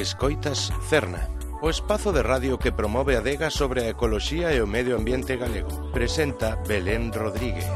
Escoitas Cerna, o espazo de radio que promove a adega sobre a ecoloxía e o medio ambiente galego. Presenta Belén Rodríguez.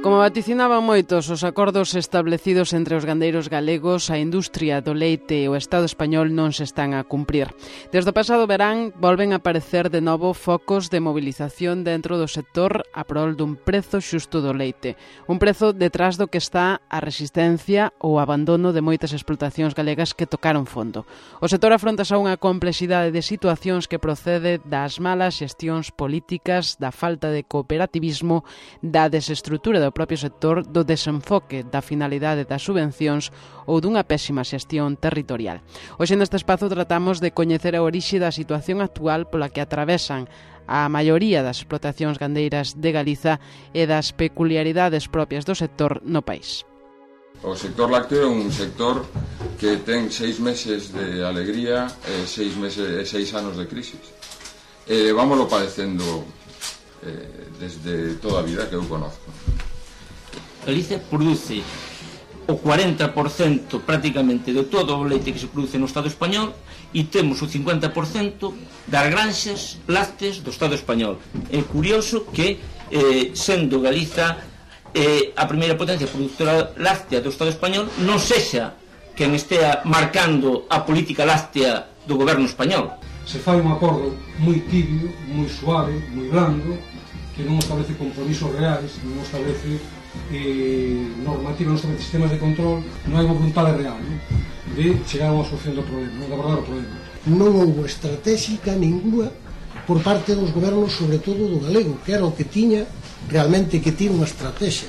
Como vaticinaban moitos os acordos establecidos entre os gandeiros galegos, a industria do leite e o Estado español non se están a cumprir. Desde o pasado verán volven a aparecer de novo focos de movilización dentro do sector a prol dun prezo xusto do leite. Un prezo detrás do que está a resistencia ou abandono de moitas explotacións galegas que tocaron fondo. O sector afronta xa unha complexidade de situacións que procede das malas xestións políticas, da falta de cooperativismo, da desestrutura do propio sector, do desenfoque da finalidade das subvencións ou dunha pésima xestión territorial. Hoxe neste espazo tratamos de coñecer a orixe da situación actual pola que atravesan a maioría das explotacións gandeiras de Galiza e das peculiaridades propias do sector no país. O sector lácteo é un sector que ten 6 meses de alegría e 6 anos de crisis. Vámoslo padecendo desde toda a vida que eu conozco. Galicia produce o 40% prácticamente de todo o leite que se produce no Estado español e temos o 50% das granxas lácteas do Estado español. É curioso que, sendo Galiza a primeira potencia produtora láctea do Estado español, non sexa quen estea marcando a política láctea do goberno español. Se fai un acordo moi tibio, moi suave, moi blando, que non establece compromisos reais, non establece normativa, non establece sistemas de control, non hai unha vontade real, non? De chegar a unha solución do problema, de abordar o problema. Non houve estratégica ninguna por parte dos gobernos, sobre todo do galego, que era o que tiña realmente que tiña unha estrategia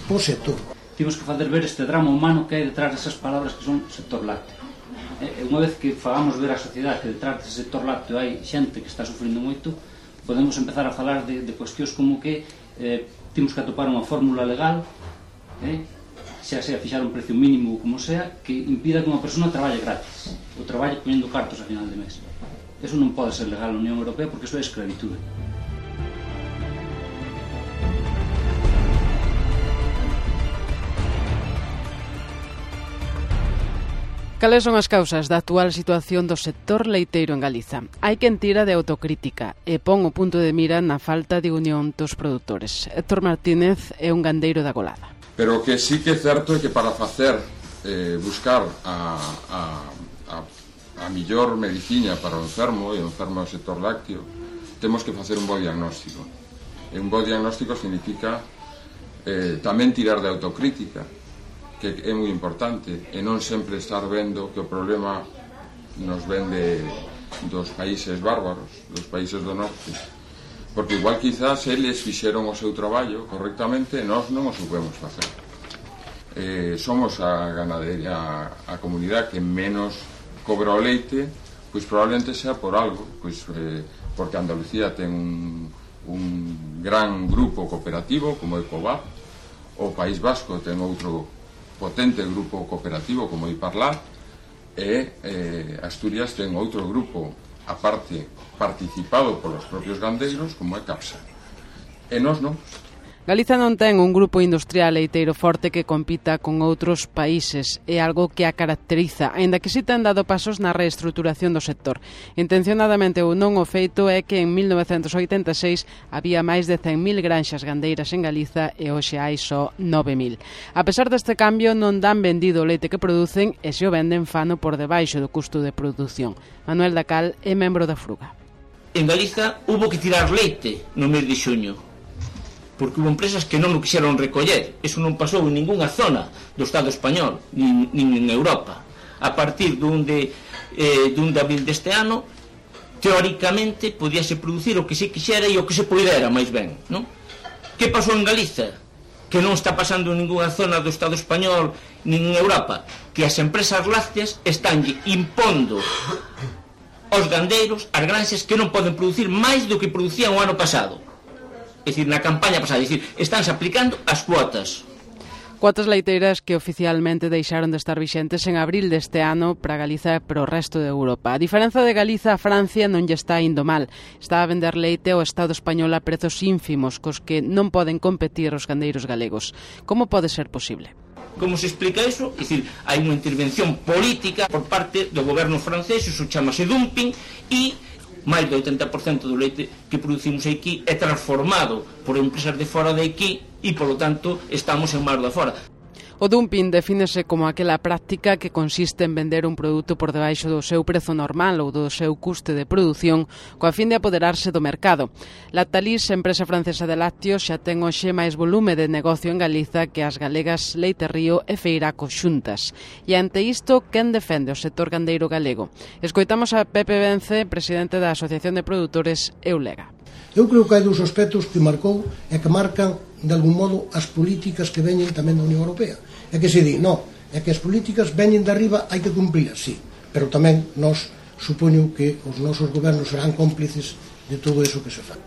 po sector. Temos que fazer ver este drama humano que hai detrás desas palabras que son sector lácteo. E unha vez que fagamos ver á sociedade que detrás dese sector lácteo hai xente que está sufrindo moito, podemos empezar a falar de cuestións como que temos que atopar unha fórmula legal, xa sea fixar un precio mínimo ou como sea, que impida que unha persona traballe gratis ou traballe poñendo cartos a final de mes. Eso non pode ser legal na Unión Europea porque eso é escravitude. Cales son as causas da actual situación do sector leiteiro en Galiza? Hai quen tira de autocrítica e pon o punto de mira na falta de unión dos produtores. Héctor Martínez é un gandeiro da Golada. Pero o que sí que é certo é que para facer buscar a millor medicina para o enfermo e o enfermo do sector lácteo, temos que facer un bo diagnóstico. E un bo diagnóstico significa tamén tirar de autocrítica, que é moi importante, e non sempre estar vendo que o problema nos vende dos países bárbaros, dos países do norte, porque igual quizás eles fixeron o seu traballo correctamente e nós non o supemos facer. Somos a ganadería, a comunidade que menos cobra o leite, pois probablemente sea por algo, pois porque Andalucía ten un gran grupo cooperativo como Ecovap, o País Vasco ten outro potente grupo cooperativo como Iparlat e Asturias ten outro grupo aparte participado polos propios gandeiros como é Capsa. E nós non. Galiza non ten un grupo industrial leiteiro forte que compita con outros países. É algo que a caracteriza, aínda que si ten dado pasos na reestruturación do sector. Intencionadamente ou non, o feito é que en 1986 había máis de 100.000 granxas gandeiras en Galiza e hoxe hai só 9.000. A pesar deste cambio, non dan vendido o leite que producen e se o venden fano por debaixo do custo de produción. Manuel Dacal é membro da Fruga. En Galiza hubo que tirar leite no mes de xuño, porque hubo empresas que non o quixeron recoller. Eso non pasou en ningunha zona do Estado español, nin en Europa. A partir dun de abril deste ano, teóricamente, podíase producir o que se quixera e o que se poidera, máis ben, non? Que pasou en Galiza? Que non está pasando en ningunha zona do Estado español, nin en Europa, que as empresas lácteas están impondo aos gandeiros, as granxas, que non poden producir máis do que producían o ano pasado. É dicir, na campaña pasada, é dicir, estánse aplicando as cuotas. Cuotas leiteiras que oficialmente deixaron de estar vixentes en abril deste ano para Galiza e para o resto de Europa. A diferenza de Galiza, a Francia non lle está indo mal. Está a vender leite ao Estado español a prezos ínfimos, cos que non poden competir os gandeiros galegos. Como pode ser posible? Como se explica iso? É dicir, hai unha intervención política por parte do goberno francés, iso chamase dumping, e máis do 80% do leite que producimos aquí é transformado por empresas de fora de aquí e, polo tanto, estamos en mar de fora. O dumping defínese como aquela práctica que consiste en vender un produto por debaixo do seu prezo normal ou do seu custe de produción coa fin de apoderarse do mercado. Lactalis, empresa francesa de lácteos, xa ten hoxe máis volume de negocio en Galiza que as galegas Leite Río e Feiraco xuntas. E ante isto, quen defende o sector gandeiro galego? Escoitamos a Pepe Vence, presidente da Asociación de Produtores Eulega. Eu creo que hai dous aspectos que marcou e que marcan, de algún modo, as políticas que veñen tamén da Unión Europea. É que se di, non, é que as políticas veñen de arriba, hai que cumprilas, sí, pero tamén nós supoño que os nosos gobernos serán cómplices de todo eso que se fai.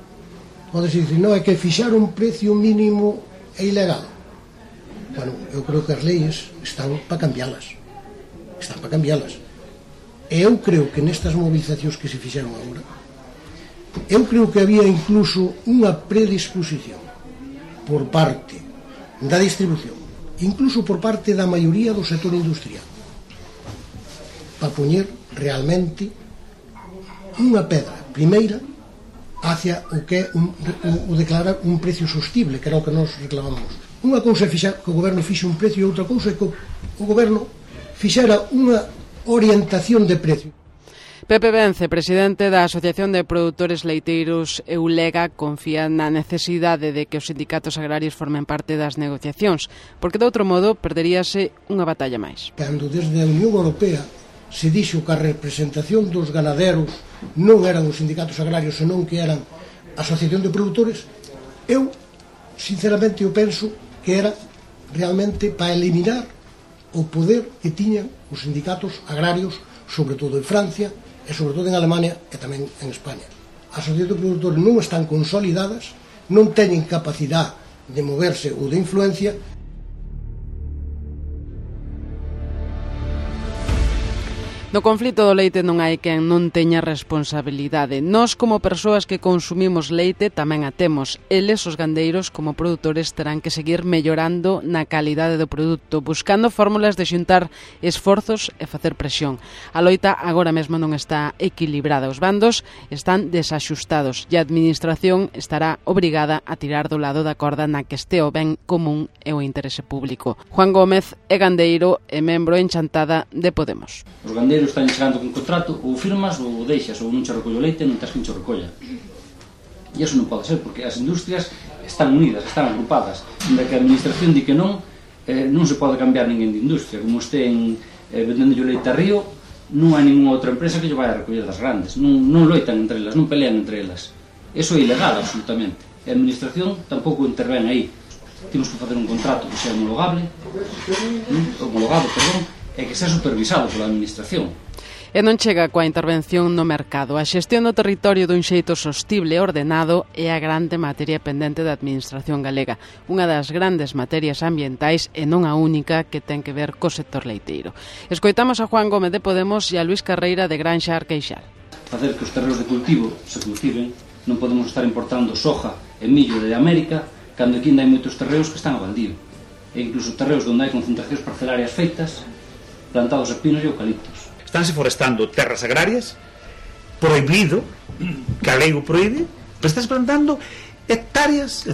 Podes dicir, non, é que fixar un precio mínimo é ilegal. Bueno, eu creo que as leyes están para cambiálas. Están para cambiálas. E eu creo que nestas movilizacións que se fixeron agora, eu creo que había incluso unha predisposición por parte da distribución, incluso por parte da maioría do sector industrial, para poñer realmente unha pedra primeira hacia o que é o declarar un precio sostible, que era o que nos reclamamos. Unha cousa é que o goberno fixe un precio e outra cousa é que o goberno fixera unha orientación de precio. Pepe Vence, presidente da Asociación de Produtores Leiteiros Eulega, confía na necesidade de que os sindicatos agrarios formen parte das negociacións, porque de outro modo perderíase unha batalla máis. Cando desde a Unión Europea se dixo que a representación dos ganaderos non eran os sindicatos agrarios, senón que eran a Asociación de Produtores, eu, sinceramente, eu penso que era realmente para eliminar o poder que tiñan os sindicatos agrarios, sobre todo en Francia, e sobre todo en Alemania e tamén en España. As asociacións de produtores non están consolidadas, non teñen capacidade de moverse ou de influencia. No conflito do leite non hai quen non teña responsabilidade. Nós, como persoas que consumimos leite, tamén a temos. Eles, os gandeiros, como produtores, terán que seguir mellorando na calidade do produto, buscando fórmulas de xuntar esforzos e facer presión. A loita agora mesmo non está equilibrada. Os bandos están desaxustados e a administración estará obrigada a tirar do lado da corda na que este o ben común e o interese público. Juan Gómez é gandeiro e membro en Chantada de Podemos. Os gandeiros están chegando con contrato, ou firmas ou deixas, ou non che recollo leite, non tens quen che recolla. E iso non pode ser, porque as industrias están unidas, están agrupadas. Onde que a administración di que non se pode cambiar ninguén de industria. Como estén vendendo o leite a Río, non hai ninguna outra empresa que lle vai a recoller das grandes. Non loitan entre elas, non pelean entre elas. Iso é ilegal, absolutamente. E a administración tampouco intervén aí. Temos que facer un contrato que sea homologado, e que sea supervisado pola administración. E non chega coa intervención no mercado. A xestión do territorio dun xeito sostible e ordenado é a grande materia pendente da administración galega, unha das grandes materias ambientais e non a única que ten que ver co sector leiteiro. Escoitamos a Juan Gómez de Podemos e a Luís Carreira de Granxa Arqueixal. Facer que os terreos de cultivo se cultiven, non podemos estar importando soja e millo de América cando aquí ainda hai moitos terreos que están a baldío, e incluso terreos onde hai concentracións parcelarias feitas plantados a pinos e eucaliptos. Estánse forestando terras agrarias, prohibido, que a lei o proíbe, pero estás plantando hectáreas.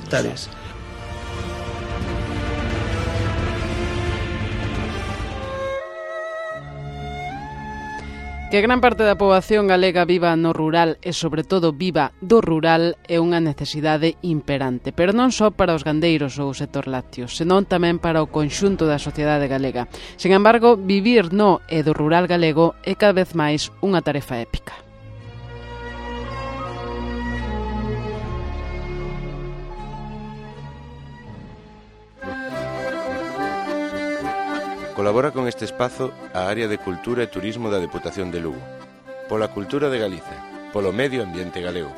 Que gran parte da poboación galega viva no rural e, sobre todo, viva do rural é unha necesidade imperante, pero non só para os gandeiros ou o sector lácteo, senón tamén para o conxunto da sociedade galega. Sen embargo, vivir no e do rural galego é cada vez máis unha tarefa épica. Colabora con este espazo a Área de Cultura e Turismo da Deputación de Lugo. Pola cultura de Galicia, polo medio ambiente galego.